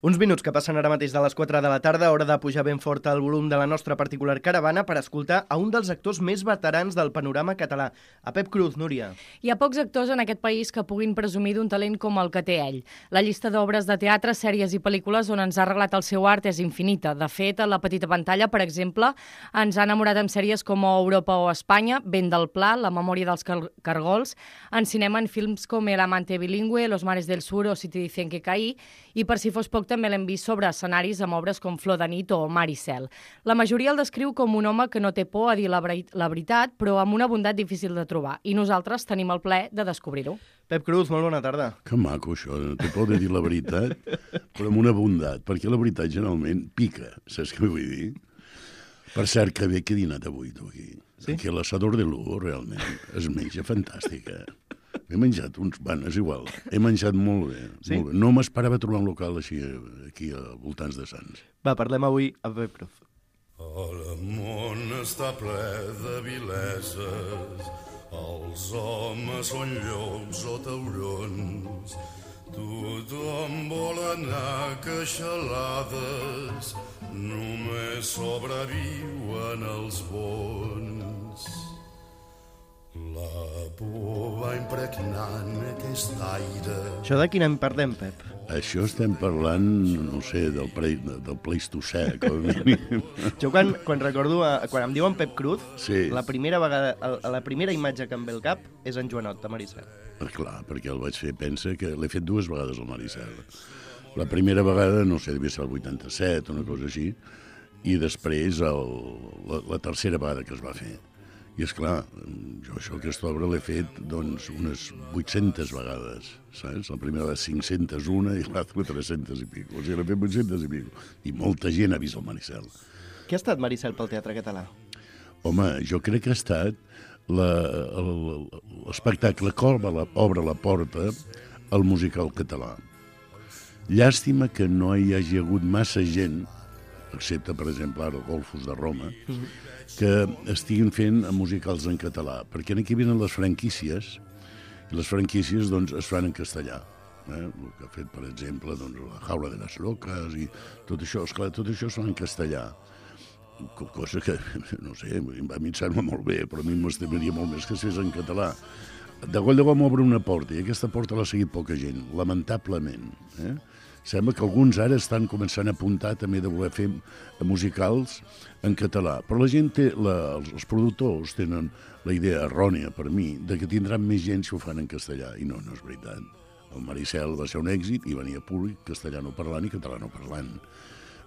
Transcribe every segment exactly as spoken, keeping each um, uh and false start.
Uns minuts que passen ara mateix de les quatre de la tarda, hora de pujar ben fort el volum de la nostra particular caravana per escoltar a un dels actors més veterans del panorama català, a Pep Cruz. Núria. Hi ha pocs actors en aquest país que puguin presumir d'un talent com el que té ell. La llista d'obres de teatre, sèries i pel·lícules on ens ha arreglat el seu art és infinita. De fet, a la petita pantalla, per exemple, ens ha enamorat amb sèries com Europa o Espanya, Vent del Pla, La memòria dels car cargols, en cinema en films com El amante bilingüe, Los mares del sur o Si te dicen que caí, i per si fos poc també l'hem vist sobre escenaris amb obres com Flor de nit o Mar i cel. La majoria el descriu com un home que no té por a dir la, la veritat, però amb una bondat difícil de trobar. I nosaltres tenim el plaer de descobrir-ho. Pep Cruz, molt bona tarda. Que maco, això. No té por de dir la veritat, però amb una bondat, perquè la veritat generalment pica, saps què vull dir? Per cert, que bé que he dinat avui, tu, aquí. Sí? Perquè l'assador de Lugo, realment, es menja fantàstica. He menjat uns... Bueno, és igual. He menjat molt bé. Sí? Molt bé. No m'esperava trobar un local així aquí a voltants de Sants. Va, parlem avui amb Pep Cruz. El món està ple de vileses, els homes són llops o taurons, tothom vol anar a queixalades, només sobreviuen els bons. La por va impregnant aquest aire. Això de quin any parlem, Pep? Això estem parlant, no sé, del, pre, del Pleistocè, com a mínim. Jo quan, quan recordo, quan em diuen Pep Cruz, sí. la primera vegada, la primera imatge que em ve al cap és en Joanot, de Mar i cel. Clar, perquè el vaig fer, pensa que l'he fet dues vegades al Mar i cel. La primera vegada, no sé, devia ser el vuitanta-set, una cosa així, i després el, la, la tercera vegada que es va fer. I, esclar, jo això, aquesta obra l'he fet, doncs, unes vuit-centes vegades, saps? La primera va cinc-centes una i l'altra tres-centes i pico. O sigui, l'he fet vuit-centes i pico. I molta gent ha vist el Mar i cel. Què ha estat Mar i cel pel teatre català? Home, jo crec que ha estat l'espectacle que obre la, obre la porta al musical català. Llàstima que no hi hagi hagut massa gent, excepte, per exemple, ara Golfos de Roma, mm-hmm. que estiguin fent musicals en català, perquè aquí venen les franquícies, i les franquícies doncs, es fan en castellà. Eh? El que ha fet, per exemple, doncs, La jaula de les locas, i tot això, esclar, tot això es fa en castellà. Cosa que, no sé, a mi em sembla molt bé, però a mi m'estimaria molt més que es fes en català. De Goll de Gom obre una porta, i aquesta porta l'ha seguit poca gent, lamentablement. Eh? Sembla que alguns ara estan començant a apuntar també de voler fer musicals en català. Però la gent té, la, els, els productors tenen la idea errònia, per mi, de que tindran més gent si ho fan en castellà. I no, no és veritat. El Mar i cel va ser un èxit i venia públic castellano parlant i catalano parlant.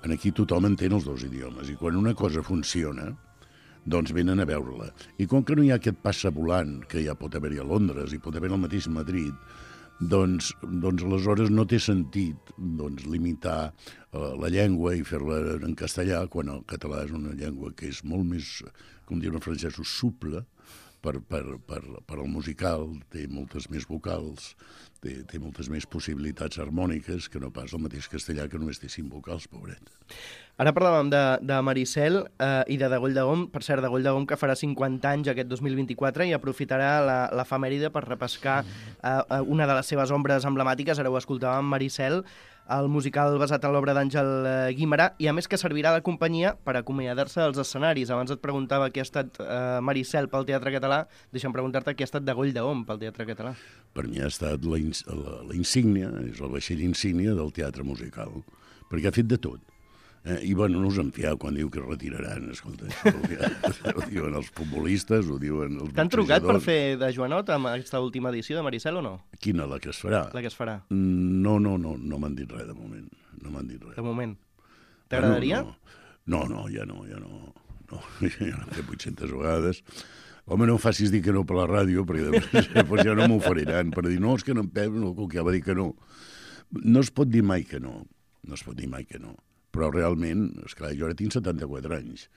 Aquí tothom entén els dos idiomes i quan una cosa funciona, doncs venen a veure-la. I com que no hi ha aquest passa volant que ja pot haver-hi a Londres i pot haver al mateix Madrid, doncs, doncs aleshores no té sentit doncs, limitar uh, la llengua i fer-la en castellà quan el català és una llengua que és molt més, com diuen els francesos, suple per, per, per, per al musical, té moltes més vocals, té, té moltes més possibilitats harmòniques que no pas el mateix castellà que només té cinc vocals, pobret. Ara parlàvem de, de Mar i cel eh, i de De Goll de Gom, per cert, De Goll de Gom que farà cinquanta anys aquest dos mil vint-i-quatre i aprofitarà l'efemèride per repescar eh, una de les seves ombres emblemàtiques, ara ho escoltàvem, Mar i cel, el musical basat en l'obra d'Àngel Guimerà, i a més que servirà de companyia per acomiadar-se als escenaris. Abans et preguntava què ha estat eh, Mar i cel pel teatre català, deixa'm preguntar-te què ha estat De Goll de Gom pel teatre català. Per mi ha estat la, la, la insígnia, és el vaixell insígnia del teatre musical, perquè ha fet de tot. Eh, I, bueno, no us en fieu quan diu que es retiraran, escolta, això ho diuen els futbolistes, ho diuen els... T'han trucat per fer de Joanot amb aquesta última edició de Mar i cel o no? Quina, la que es farà? La que es farà. No, no, no, no m'han dit res de moment, no m'han dit res. De moment. T'agradaria? No, no, ja no, ja no, no, ja l'he fet vuit-centes vegades. Home, no em facis dir que no per la ràdio, perquè després ja no m'oferiran, per dir, no, és que no en Pep, no, que ja va dir que no. No es pot dir mai que no, no es pot dir mai que no. Però realment, esclar, jo ara tinc setanta-quatre anys,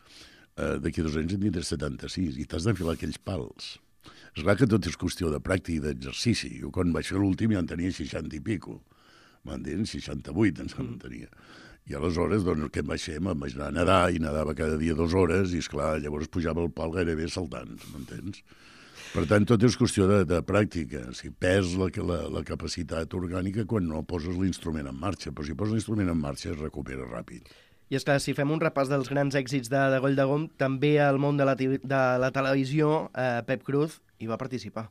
uh, d'aquí dos anys en tindré setanta-sis, i t'has d'enfilar aquells pals. És clar que tot és qüestió de pràctica i d'exercici. Jo quan vaig fer l'últim ja en tenia seixanta i pico, m'entens? seixanta-vuit en mm. tenia. I aleshores, doncs, què em vaig fer? Me'n vaig anar a nedar, i nedava cada dia dues hores, i esclar, llavors pujava el pal gairebé saltant, m'entens? Per tant, tot és qüestió de, de pràctica. Si perds la, la, la capacitat orgànica quan no poses l'instrument en marxa, però si poses l'instrument en marxa es recupera ràpid. I és clar, si fem un repàs dels grans èxits de, de Goll de Gom, també al món de la, de la televisió, eh, Pep Cruz hi va participar.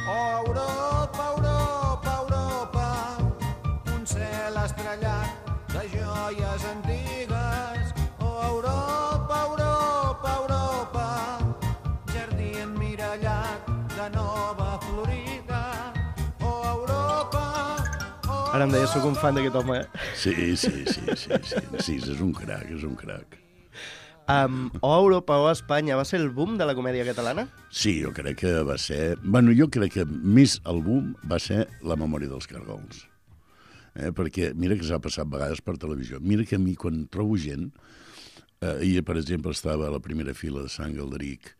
Oh, Europa, Europa, Europa, un cel estrellat de joies antigues. Oh, Europa, Europa, Europa, jardí emmirallat de nova Florida. Oh, Europa, oh, Ara em deia, soc un fan d'aquest home, eh? Sí, sí, sí, sí, sí, sí, és un crac, és un crac. Um, o Europa o Espanya va ser el boom de la comèdia catalana? Sí, jo crec que va ser... Bueno, jo crec que més el boom va ser La memòria dels cargols. Eh? Perquè mira que s'ha passat vegades per televisió. Mira que a mi, quan trobo gent... Eh, ahir, per exemple, estava a la primera fila de Sant Galderic,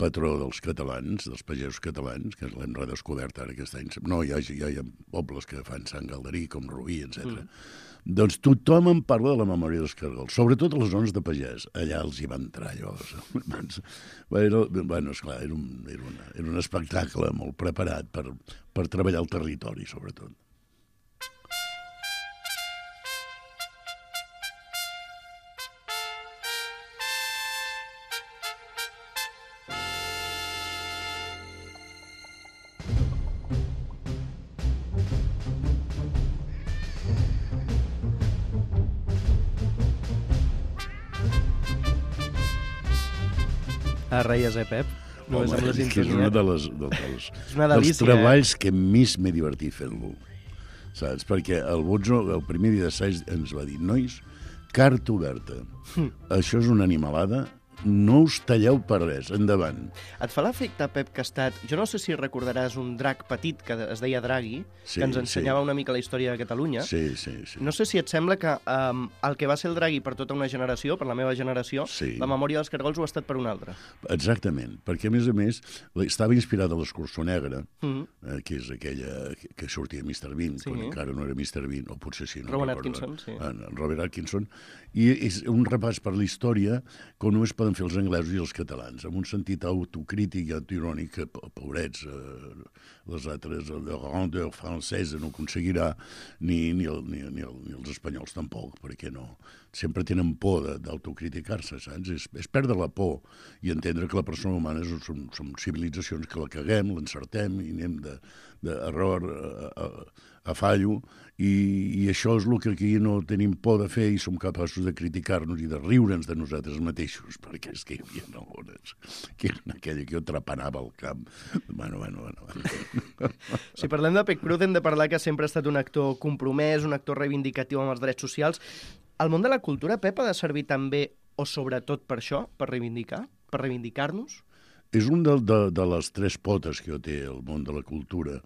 patró dels catalans, dels pagesos catalans, que l'hem redescobert ara aquest any. No, hi ha, hi ha pobles que fan Sant Galderic, com Rubí, etcètera. Mm. Doncs tothom en parla de la memòria dels cargols, sobretot a les zones de pagès. Allà els hi va entrar allò. Bueno, bueno esclar, era un, era, una, era un espectacle molt preparat per, per treballar el territori, sobretot. A reies, eh, Pep? Només Home, amb la és que és sintonia. una de les, de, dels, És una dels delícia, treballs que més m'he divertit fent-lo. Saps? Perquè el Bozo, el primer dia d'assaig, ens va dir: nois, carta oberta. Hm. Això és una animalada, no us talleu per res, endavant. Et fa l'efecte, Pep, que ha estat... Jo no sé si recordaràs un drac petit que es deia Draghi, Sí, que ens ensenyava sí. una mica la història de Catalunya. Sí, sí, sí. No sé si et sembla que um, el que va ser el Draghi per tota una generació, per la meva generació, Sí. la memòria dels cargols ho ha estat per una altra. Exactament, perquè a més a més estava inspirada a l'Escurçó Negre, Mm -hmm. eh, que és aquella que, que sortia mister Bean, Sí. quan encara no era mister Bean, o potser sí, no Rowan recordo. Atkinson, sí. En, en Robert Atkinson, i és un repàs per la història com només poden fer els anglesos i els catalans, amb un sentit autocrític i autoirònic que, pobrets, eh, les altres, la grandeur francesa no aconseguirà, ni, ni, el, ni, ni, el, ni els espanyols tampoc, perquè no. Sempre tenen por de- d'autocriticar-se, saps? És, és perdre la por i entendre que la persona humana és, som, som civilitzacions que la caguem, l'encertem i anem d'error a, a, a fallo, i, i això és el que aquí no tenim por de fer i som capaços de criticar-nos i de riure'ns de nosaltres mateixos, perquè és que hi havia algunes que eren aquella que jo trapanava al camp. Bueno, bueno, bueno. bueno. Si parlem de Pep Cruz hem de parlar que sempre ha estat un actor compromès, un actor reivindicatiu amb els drets socials. El món de la cultura, Pep, ha de servir també o sobretot per això, per reivindicar, per reivindicar-nos? És un de, de, de les tres potes que té el món de la cultura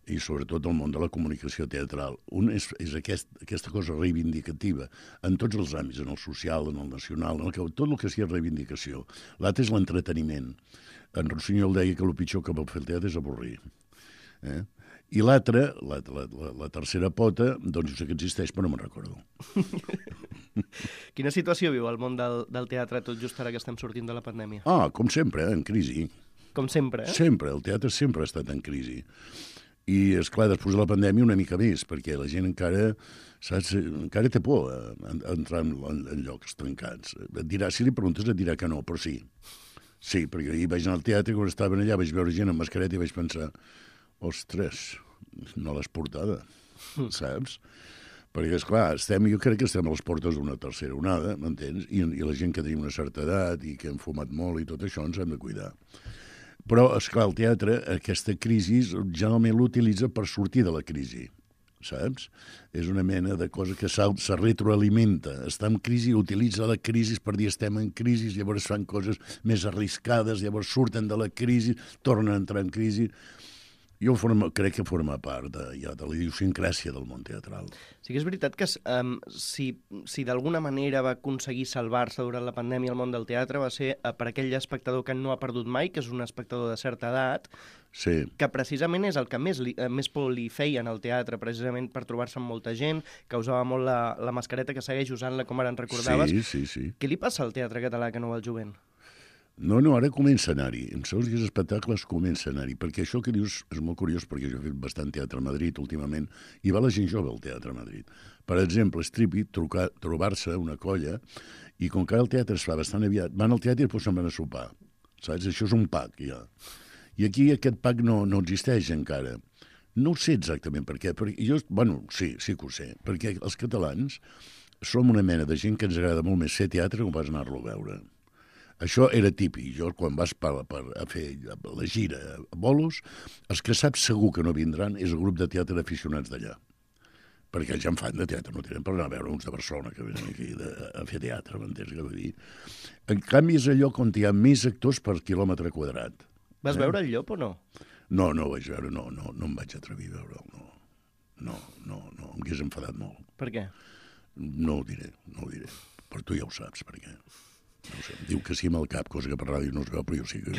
i sobretot el món de la comunicació teatral. Un és, és aquest, aquesta cosa reivindicativa en tots els àmbits, en el social, en el nacional, en el que, tot el que sigui reivindicació. L'altre és l'entreteniment. En Rossinyol deia que el pitjor que pot fer el teatre és avorrir. Eh? I l'altra, la, la, la, la tercera pota, doncs jo sé que existeix, però no me'n recordo. Quina situació viu el món del, del teatre tot just ara que estem sortint de la pandèmia? Ah, com sempre, eh? En crisi. Com sempre, eh? Sempre, el teatre sempre ha estat en crisi. I, és clar, després de la pandèmia una mica més, perquè la gent encara, saps, encara té por a, a entrar en, en, en llocs tancats. Et dirà, si li preguntes et dirà que no, però sí. Sí, perquè ahir vaig anar al teatre, quan estaven allà vaig veure gent amb mascareta i vaig pensar, ostres, no l'has portada, saps? Perquè, esclar, estem, jo crec que estem a les portes d'una tercera onada, m'entens? I, I la gent que tenim una certa edat i que hem fumat molt i tot això ens hem de cuidar. Però, esclar, el teatre, aquesta crisi, generalment l'utilitza per sortir de la crisi, saps? És una mena de cosa que se retroalimenta. Està en crisi, utilitza la crisi per dir estem en crisi, llavors fan coses més arriscades, llavors surten de la crisi, tornen a entrar en crisi. Jo forma, crec que forma part de, ja, de la idiosincràsia del món teatral. Sí que és veritat que um, si, si d'alguna manera va aconseguir salvar-se durant la pandèmia el món del teatre va ser uh, per aquell espectador que no ha perdut mai, que és un espectador de certa edat, Sí. que precisament és el que més, li, eh, més por li feien al teatre, precisament per trobar-se amb molta gent, que usava molt la, la mascareta, que segueix usant-la, com ara en recordaves. Sí, sí, sí. Què li passa al teatre català que no va al jovent? No, no, ara comença a anar-hi. En segons quins espectacles comença a anar-hi, perquè això que dius és molt curiós, perquè jo he fet bastant teatre a Madrid últimament, i va la gent jove al teatre a Madrid. Per exemple, és típic trobar-se una colla, i com que el teatre es fa bastant aviat, van al teatre i després se'n van a sopar. Saps? Això és un pack, ja. I aquí aquest pack no, no existeix encara. No ho sé exactament per què, perquè jo, bueno, sí, sí que ho sé, perquè els catalans som una mena de gent que ens agrada molt més fer teatre que pas anar-lo a veure. Això era típic. Jo, quan vas per, per a fer la gira a bolos, els que saps segur que no vindran és el grup de teatre d'aficionats d'allà. Perquè ja en fan de teatre, no tenen per anar a veure uns de Barcelona que venen aquí de, a fer teatre, m'entens què vull dir? En canvi, és el lloc on hi ha més actors per quilòmetre quadrat. Vas eh? veure el llop o no? No, no ho vaig veure, no, no, no em vaig atrevir a veure'l, no. No, no, no, em hagués enfadat molt. Per què? No ho diré, no ho diré. Però tu ja ho saps, per què. No sé, em diu que sí amb el cap, cosa que per ràdio no es veu, però jo sí que...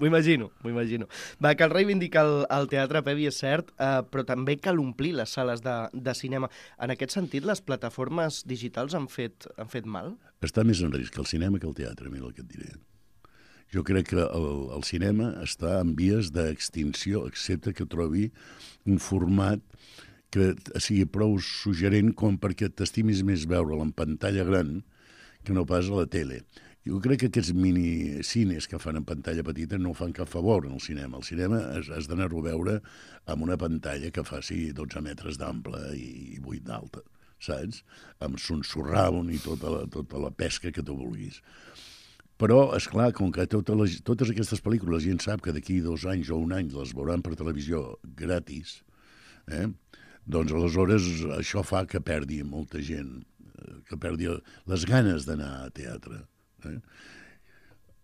M'ho imagino, m'ho imagino. Va, cal reivindicar el, el teatre, Pepi, és cert, eh, però també cal omplir les sales de, de cinema. En aquest sentit, les plataformes digitals han fet, han fet mal? Està més en risc el cinema que el teatre, mira el que et diré. Jo crec que el, el cinema està en vies d'extinció, excepte que trobi un format que sigui prou suggerent com perquè t'estimis més veure'l en pantalla gran que no pas a la tele. Jo crec que aquests minicines que fan en pantalla petita no fan cap favor en el cinema. El cinema has, has d'anar-ho a veure amb una pantalla que faci dotze metres d'ample i vuit d'alta, saps? Amb son surround i tota la, tota la pesca que tu vulguis. Però, esclar, com que totes, les, totes aquestes pel·lícules gent sap que d'aquí dos anys o un any les veuran per televisió gratis, eh? Doncs aleshores això fa que perdi molta gent, que perdi les ganes d'anar a teatre. Eh?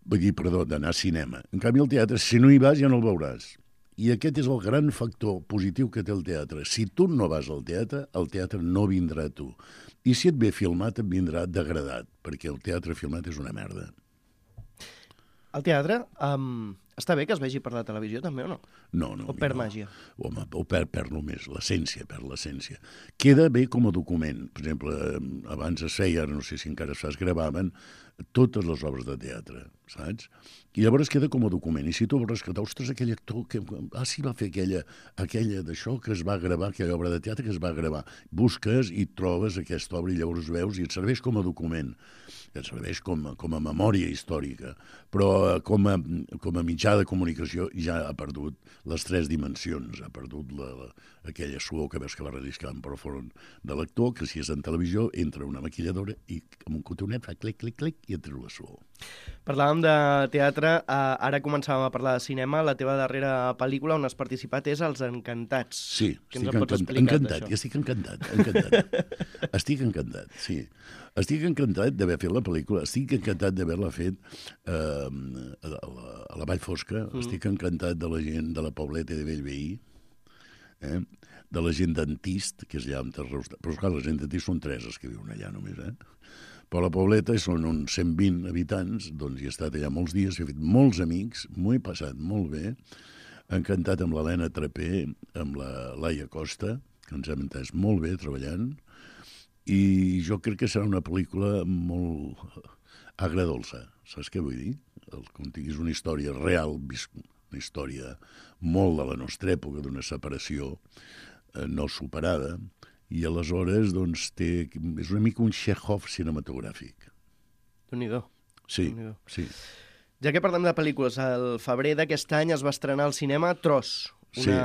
Vull dir, perdó, d'anar a cinema. En canvi, el teatre, si no hi vas, ja no el veuràs. I aquest és el gran factor positiu que té el teatre. Si tu no vas al teatre, el teatre no vindrà a tu. I si et ve filmat, et vindrà degradat, perquè el teatre filmat és una merda. El teatre, um, està bé que es vegi per la televisió, també, o no? No, no. O perd no. màgia? Home, o perd, perd només, l'essència, perd l'essència. Queda bé com a document. Per exemple, abans es feia, no sé si encara es fa, es gravaven totes les obres de teatre, saps? I llavors queda com a document. I si tu vols rescatar, ostres, aquell actor que... Ah, sí, va fer aquella, aquella d'això que es va gravar, aquella obra de teatre que es va gravar. Busques i trobes aquesta obra i llavors veus i et serveix com a document. Et serveix com, com a memòria històrica. Però com a, com a mitjà de comunicació ja ha perdut les tres dimensions. Ha perdut la, la, aquella suor que veus que va relliscant per front de l'actor, que si és en televisió entra una maquilladora i amb un cotonet fa clic, clic, clic i et treu la suor. Parlàvem de teatre, eh, ara començàvem a parlar de cinema. La teva darrera pel·lícula on has participat és Els Encantats. Sí, Què estic ens en pots encantat, explicar encantat, d'això? i estic encantat, encantat. Estic encantat, sí. Estic encantat d'haver fet la pel·lícula, estic encantat d'haver-la fet eh, a, la, a la Vall Fosca, mm. estic encantat de la gent de la Pobleta de Bellveí, eh? de la gent d'Antist, que és allà on t'arreus... Però clar, la gent d'Antist són tres els que viuen allà només, eh? Però la Pobleta són uns cent vint habitants, doncs hi he estat allà molts dies, he fet molts amics, m'ho he passat molt bé, encantat amb l'Helena Trapé, amb la Laia Costa, que ens hem entès molt bé treballant, i jo crec que serà una pel·lícula molt agradolça, saps què vull dir? El, com diguis, una història real, una història molt de la nostra època, d'una separació eh, no superada, i aleshores doncs, té, és una mica un Chekhov cinematogràfic. Déu-n'hi-do. Sí, Déu-n'hi-do. sí. Ja que parlem de pel·lícules, el febrer d'aquest any es va estrenar al cinema Tros, una, Sí.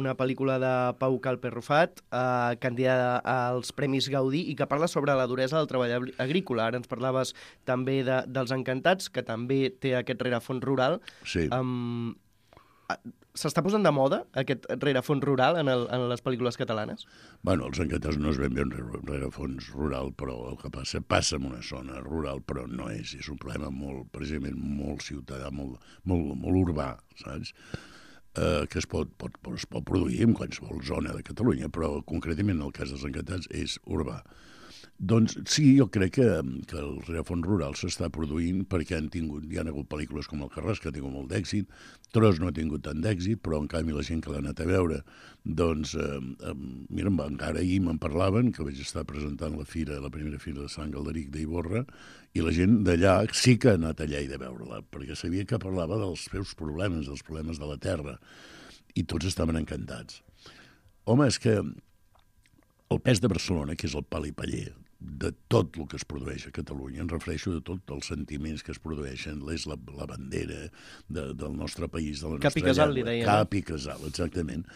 una pel·lícula de Pau Calper-Rufat, eh, candidada als Premis Gaudí, i que parla sobre la duresa del treball agrí- agrícola. Ara ens parlaves també de, dels Encantats, que també té aquest rerefons rural. Sí. Um, S'està posant de moda aquest rerefons rural en, el, en les pel·lícules catalanes? Bueno, els Encantats no es ben bé un rerefons rural, però el que passa, passa en una zona rural, però no és. És un problema molt, precisament, molt ciutadà, molt, molt, molt urbà, saps? Eh, que es pot, pot, es pot produir en qualsevol zona de Catalunya, però concretament en el cas dels Encantats és urbà. Doncs sí, jo crec que, que el rerefons rural s'està produint perquè han tingut, hi ha hagut pel·lícules com El Carràs, que ha tingut molt d'èxit, Tros no ha tingut tant d'èxit, però en canvi la gent que l'ha anat a veure, doncs, eh, eh, mira, encara ahir me'n parlaven, que vaig estar presentant la fira, la primera fira de Sant Galderic d'Ivorra, i la gent d'allà sí que ha anat allà i de veure-la, perquè sabia que parlava dels seus problemes, dels problemes de la terra, i tots estaven encantats. Home, és que el pes de Barcelona, que és el pal i paller, de tot el que es produeix a Catalunya, em refereixo de tots els sentiments que es produeixen, és la, la bandera de, del nostre país, de la nostra Cap i casal, li deia. Cap i casal, exactament.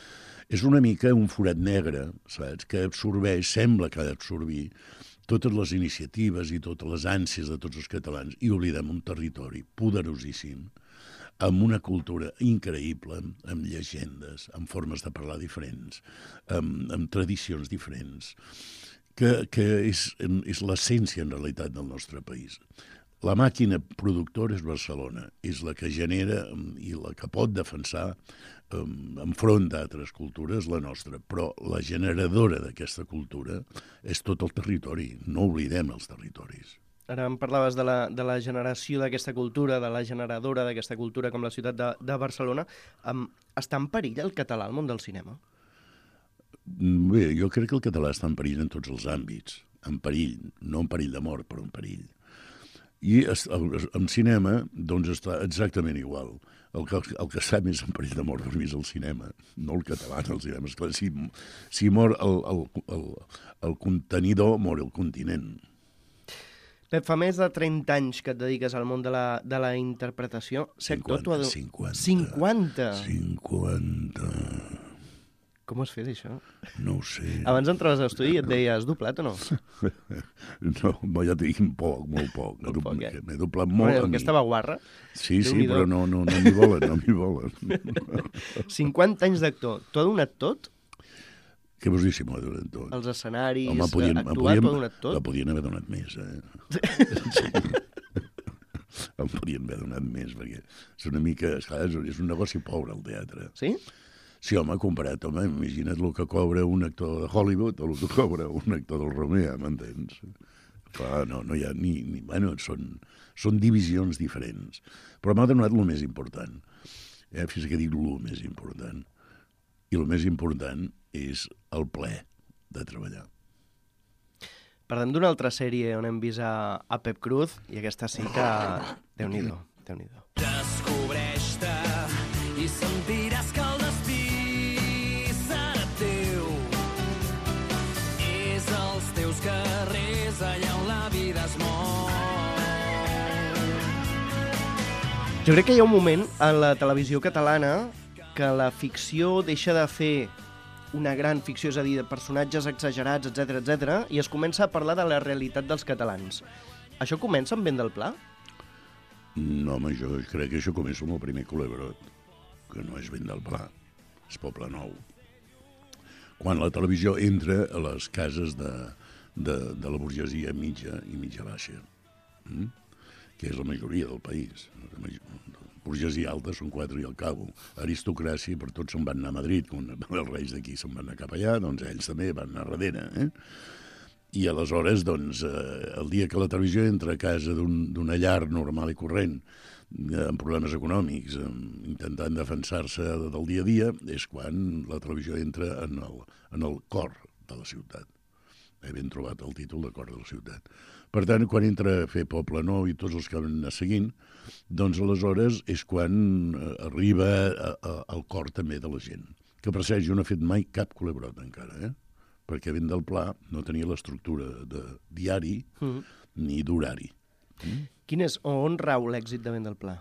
És una mica un forat negre, saps?, que absorbeix, sembla que ha d'absorbir totes les iniciatives i totes les ànsies de tots els catalans, i oblidem un territori poderosíssim, amb una cultura increïble, amb llegendes, amb formes de parlar diferents, amb, amb tradicions diferents, que, que és, és l'essència, en realitat, del nostre país. La màquina productora és Barcelona, és la que genera i la que pot defensar um, enfront d'altres cultures la nostra, però la generadora d'aquesta cultura és tot el territori, no oblidem els territoris. Ara em parlaves de la, de la generació d'aquesta cultura, de la generadora d'aquesta cultura com la ciutat de, de Barcelona. Um, està en perill el català al món del cinema? Bé, jo crec que el català està en perill en tots els àmbits. En perill, no en perill de mort, però en perill. I en cinema, doncs, està exactament igual. El que, el que està més en perill de mort per mi és el cinema, no el català, el cinema. Esclar, si, si mor el, el, el, el contenidor, mor el continent. Pep, fa més de trenta anys que et dediques al món de la, de la interpretació. cinquanta, de... cinquanta. cinquanta? cinquanta. Com has fet, això? No ho sé. Abans entraves a l'estudi i et deia, has doblat o no? No, ja t'he dit poc, molt poc. Molt poc, eh? M'he doblat molt. Bueno, aquesta vaguarra. Sí, sí, però no, no, no m'hi volen, no m'hi volen. cinquanta anys d'actor. T'ho ha donat tot? Què vols dir si m'ho ha donat tot? Els escenaris, Home, podien, actuar, podien, t'ho ha donat tot? la podien haver donat més, eh? Sí. Em podien haver donat més, perquè és una mica... És un negoci pobre, el teatre. Sí? Sí, home, comparat, home, imagina't el que cobra un actor de Hollywood o el que cobra un actor del Romea, m'entens? Clar, no, no hi ha ni... ni bueno, són, són divisions diferents. Però m'ha donat el més important. Eh? Fins que dic el més important. I el més important és el plaer de treballar. Parlem d'una altra sèrie on hem vist a, a Pep Cruz, i aquesta sí que... Déu-n'hi-do, Déu-n'hi-do. Descobreix-te i sentiràs que el destí serà teu. És als teus carrers allà on la vida es mou. Jo crec que hi ha un moment en la televisió catalana que la ficció deixa de fer una gran ficció, és a dir, de personatges exagerats, etcètera, etcètera, i es comença a parlar de la realitat dels catalans. Això comença amb Vent del Pla? No, home, jo crec que això comença amb el primer Culebrot, que no és Vent del Pla, és Poble Nou. Quan la televisió entra a les cases de, de, de la burgesia mitja i mitja baixa, mm? que és la majoria del país. La burgesia alta són quatre i al cabo. Aristocràcia, per tots se'n van anar a Madrid, quan els reis d'aquí se'n van anar cap allà, doncs ells també van anar darrere. Eh? I aleshores, doncs, eh, el dia que la televisió entra a casa d'una llar normal i corrent, eh, amb problemes econòmics, eh, intentant defensar-se del dia a dia, és quan la televisió entra en el, en el cor de la ciutat. He ben trobat el títol de Cor de la ciutat. Per tant, quan entra a fer Poble Nou i tots els que van anar seguint, doncs aleshores és quan arriba a, a, al cor també de la gent. Que per cert, jo no he fet mai cap Culebrot encara, eh? Perquè Vent del Pla no tenia l'estructura de diari mm. ni d'horari. Mm? Quin és, o on rau l'èxit de Vent del Pla?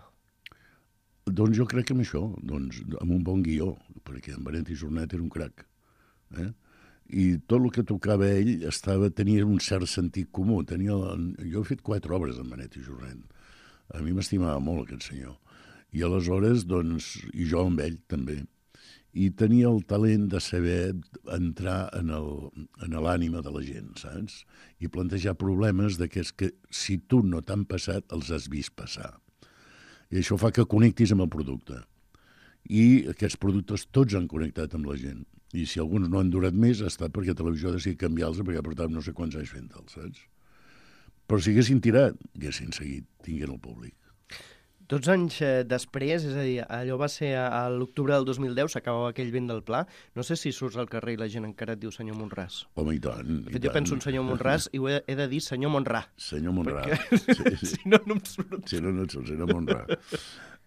Doncs jo crec que amb això, doncs, amb un bon guió, perquè en Valentí Jornet era un crac. Eh? I tot el que tocava ell estava, tenia un cert sentit comú. Tenia, jo he fet quatre obres amb Benet i Jornet. A mi m'estimava molt aquest senyor. I aleshores, doncs, i jo amb ell també. I tenia el talent de saber entrar en l'ànima de la gent, saps? I plantejar problemes d'aquests que, si tu no t'han passat, els has vist passar. I això fa que connectis amb el producte. i aquests productes tots han connectat amb la gent. I si alguns no han durat més, ha estat perquè Televisió ha decidit canviar-los perquè portàvem no sé quants anys fent-los, saps? Però si haguessin tirat, haguessin seguit tinguent el públic. Tots anys eh, després, és a dir, allò va ser a, a l'octubre del dos mil deu, s'acabava aquell vent del Pla. No sé si surts al carrer i la gent encara et diu senyor Monràs. Home, i tant. De fet, jo penso en senyor Monràs i ho he, he de dir senyor Monrà. Senyor Monrà. Perquè... Sí, sí. si no, no em surt. Si no, no et surt, senyor Monrà.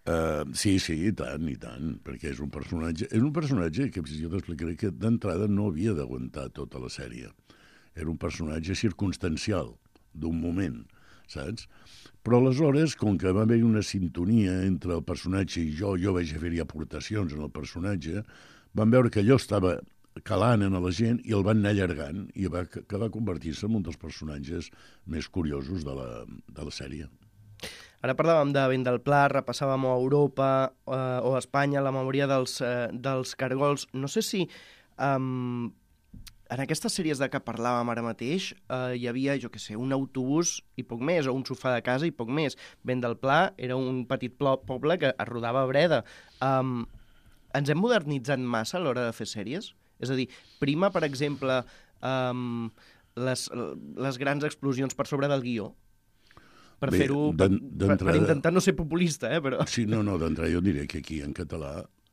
Uh, sí, sí, i tant, i tant, perquè és un personatge, és un personatge que jo t'explicaré que d'entrada no havia d'aguantar tota la sèrie. Era un personatge circumstancial, d'un moment, saps? Però aleshores, com que va haver una sintonia entre el personatge i jo, jo vaig fer-hi aportacions en el personatge, van veure que allò estava calant en la gent i el van anar allargant i va, que va convertir-se en un dels personatges més curiosos de la, de la sèrie. Ara parlàvem de Vent del Pla, repassàvem a Europa eh, o a Espanya la memòria dels, eh, dels cargols. No sé si um, en aquestes sèries de què parlàvem ara mateix eh, hi havia, jo què sé, un autobús i poc més, o un sofà de casa i poc més. Vent del Pla era un petit poble que es rodava a Breda. Um, ens hem modernitzat massa a l'hora de fer sèries? És a dir, prima, per exemple, um, les, les grans explosions per sobre del guió? Per Bé, fer-ho, per, per, per intentar no ser populista, eh, però... Sí, no, no, d'entrada jo diré que aquí en català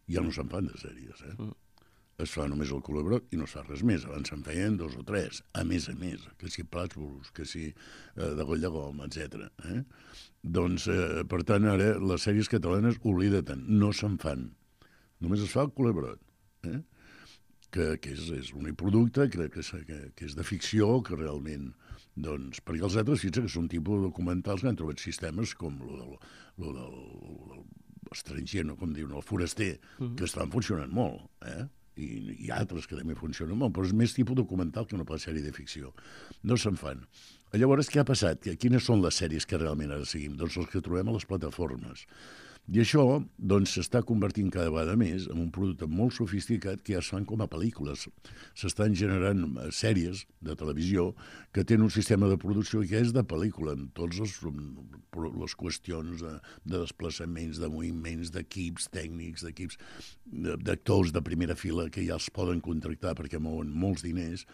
ja no se'n fan de sèries, eh? Mm. Es fa només el Culebrot i no es fa res més. Abans se'n feien dos o tres, a més a més, que si Plàsbolos, que si eh, de Goll de Gom, etcètera. Eh? Doncs, eh, per tant, ara les sèries catalanes, oblida-te'n, no se'n fan. Només es fa el Culebrot, eh? que, que és, és l'únic producte que, que, que, que és de ficció, que realment... Doncs, perquè els altres, fixa que són tipus documentals que han trobat sistemes com el del, lo del, del estranger, no, com diuen, el foraster, mm-hmm. que estan funcionant molt, eh? I, i altres que també funcionen molt, però és més tipus documental que una sèrie de ficció. No se'n fan. Llavors, què ha passat? Quines són les sèries que realment ara seguim? Doncs les que trobem a les plataformes. I això doncs, s'està convertint cada vegada més en un producte molt sofisticat que ja es fan com a pel·lícules. S'estan generant sèries de televisió que tenen un sistema de producció que és de pel·lícula, amb totes les, les qüestions de, de desplaçaments, de moviments, d'equips tècnics, d'equips d'actors de primera fila que ja els poden contractar perquè mouen molts diners.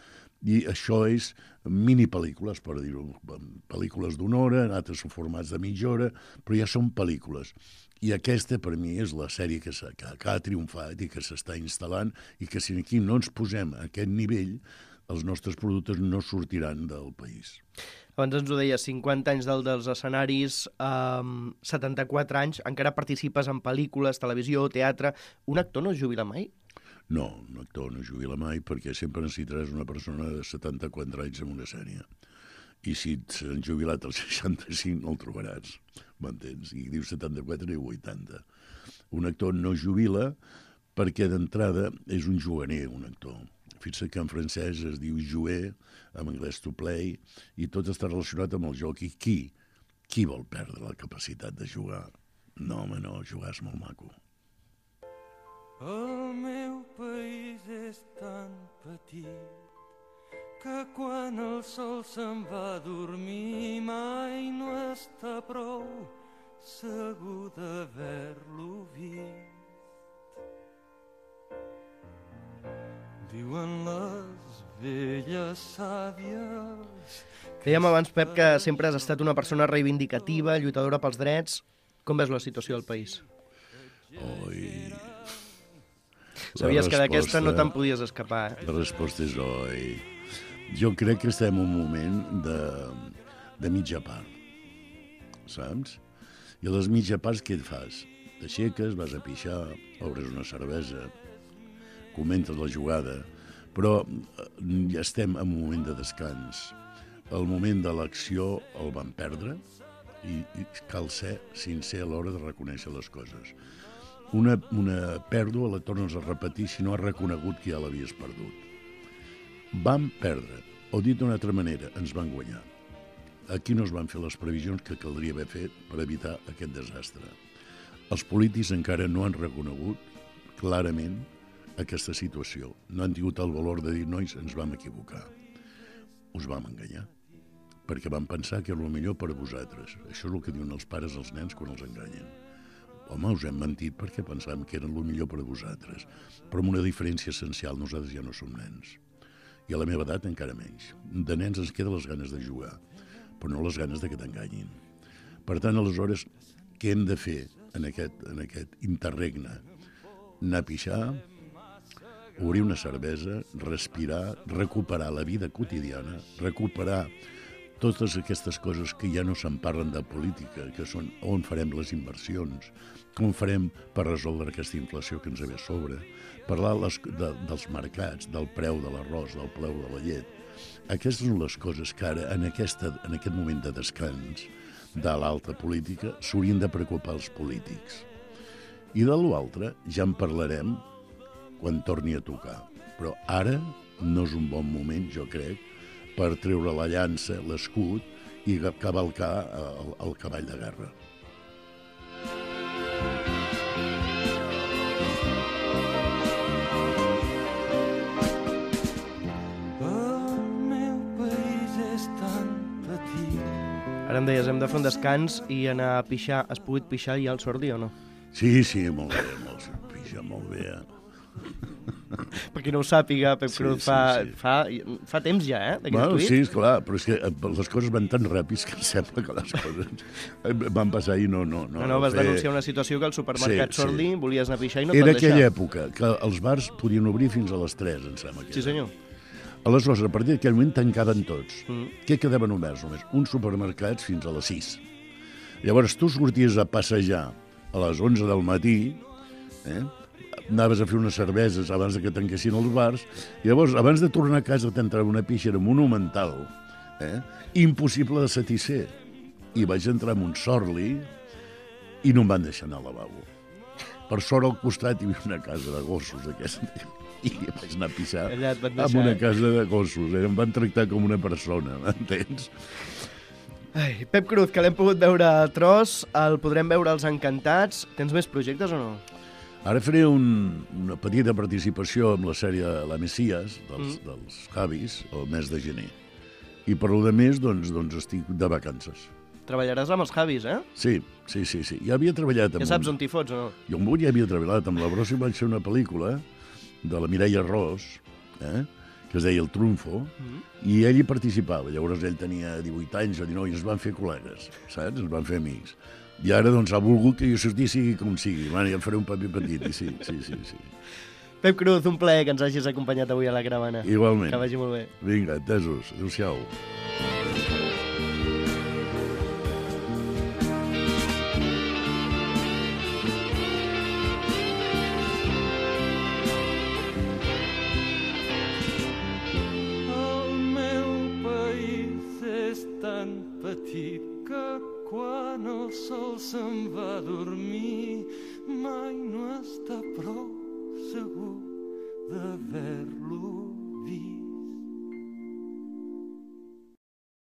I això és mini-pel·lícules, per dir-ho, pel·lícules d'una hora, altres són formats de mitja hora, però ja són pel·lícules. I aquesta, per mi, és la sèrie que, que, que ha triomfat i que s'està instal·lant i que si aquí no ens posem a aquest nivell, els nostres productes no sortiran del país. Abans ens ho deia, cinquanta anys del, dels escenaris, um, setanta-quatre anys, encara participes en pel·lícules, televisió, teatre. Un actor no es jubila mai? No, un actor no es jubila mai perquè sempre necessitaràs una persona de setanta-quatre anys en una sèrie. I si s'han jubilat als seixanta-cinc no el trobaràs, m'entens? I dius setanta-quatre i vuitanta. Un actor no jubila perquè d'entrada és un juganer, un actor. Fixa que en francès es diu jouer, en anglès to play, i tot està relacionat amb el joc. I qui? Qui vol perdre la capacitat de jugar? No, home, no, jugar és molt maco. El meu país és tan petit que quan el sol se'n va a dormir mai no està prou segur d'haver-lo vist. Diuen les velles sàvies... Dèiem abans, Pep, que sempre has estat una persona reivindicativa, lluitadora pels drets. Com ves la situació del país? Oi... Sabies que d'aquesta no te'n podies escapar, eh? La resposta és oi. Jo crec que estem en un moment de, de mitja part, saps? I a les mitja parts què et fas? T'aixeques, vas a pixar, obres una cervesa, comentes la jugada, però ja estem en un moment de descans. El moment de l'acció el vam perdre i, i cal ser sincer a l'hora de reconèixer les coses. Una, una pèrdua la tornes a repetir si no has reconegut que ja l'havies perdut. Vam perdre, o dit d'una altra manera, ens van guanyar. Aquí no es van fer les previsions que caldria haver fet per evitar aquest desastre. Els polítics encara no han reconegut clarament aquesta situació. No han tingut el valor de dir, nois, ens vam equivocar. Us vam enganyar. Perquè vam pensar que era el millor per a vosaltres. Això és el que diuen els pares als nens quan els enganyen. home, us hem mentit perquè pensàvem que eren el millor per a vosaltres. Però amb una diferència essencial, nosaltres ja no som nens. I a la meva edat encara menys. De nens ens queden les ganes de jugar, però no les ganes de que t'enganyin. Per tant, aleshores, què hem de fer en aquest, en aquest interregne? Anar a pixar, obrir una cervesa, respirar, recuperar la vida quotidiana, recuperar totes aquestes coses que ja no se'n parlen de política, que són on farem les inversions, com farem per resoldre aquesta inflació que ens ve a sobre, parlar les, de, dels mercats, del preu de l'arròs, del preu de la llet. Aquestes són les coses que ara, en, aquesta, en aquest moment de descans de l'alta política, s'haurien de preocupar els polítics. I de l'altre ja en parlarem quan torni a tocar. Però ara no és un bon moment, jo crec, per treure la llança, l'escut i cavalcar el, el cavall de guerra. El meu país és tan petit. Ara em deies, hem de fer un descans i anar a pixar. Has pogut pixar ja al Sordi o no? Sí, sí, molt bé, molt, pixa molt bé. Per qui no ho sàpiga, Pep Sí, Cruz, sí, fa, sí. fa, fa temps ja, eh, d'aquest Bueno, tuit? sí, esclar, però és que les coses van tan ràpids que em sembla que les coses van passar i no... No, no, No, no, vas fer... denunciar una situació que al supermercat Sí, sí. Sordi volies anar a pixar i no et van Era deixar. aquella època que els bars podien obrir fins a les tres, em sembla que Sí, era. senyor. Aleshores, a partir d'aquell moment tancaven tots. Mm. Què quedaven oberts només? Uns supermercats fins a les sis. Llavors, tu sorties a passejar a les onze del matí, eh? Anaves a fer unes cerveses abans que tanquessin els bars, i llavors, abans de tornar a casa, t'entrava una pixera monumental, eh? Impossible de satisfer. I vaig entrar en un Sorli i no em van deixar anar al lavabo. Per sort, al costat hi havia una casa de gossos, aquesta, i vaig anar a pixar Allà et van en deixar, una eh? casa de gossos. Eh? Em van tractar com una persona, m'entens? Ai, Pep Cruz, que l'hem pogut veure a tros, el podrem veure als Encantats. Tens més projectes o no? Ara faré un, una petita participació amb la sèrie La Messias, dels, mm. dels Javis, el mes de gener. I per lo de més, doncs, doncs estic de vacances. Treballaràs amb els Javis, eh? Sí, sí, sí, sí. Ja havia treballat amb... Ja saps on t'hi fots o no? Jo amb un ja havia treballat. Amb la Brossa vaig fer una pel·lícula de la Mireia Ros, eh? que es deia El Trunfo, mm. i ell hi participava. Llavors ell tenia divuit anys o dinou i ens van fer col·legues, saps? Ens van fer amics. I ara, doncs, ha volgut que jo sortir sigui com sigui. Bueno, ja em faré un paper petit, i sí, sí, sí, sí. Pep Cruz, un plaer que ens hagis acompanyat avui a la caravana. Igualment. Que vagi molt bé. Vinga, entesos. Adéu-siau. El meu país és tan petit que quan el sol se'n va a dormir mai no està prou segur d'haver-lo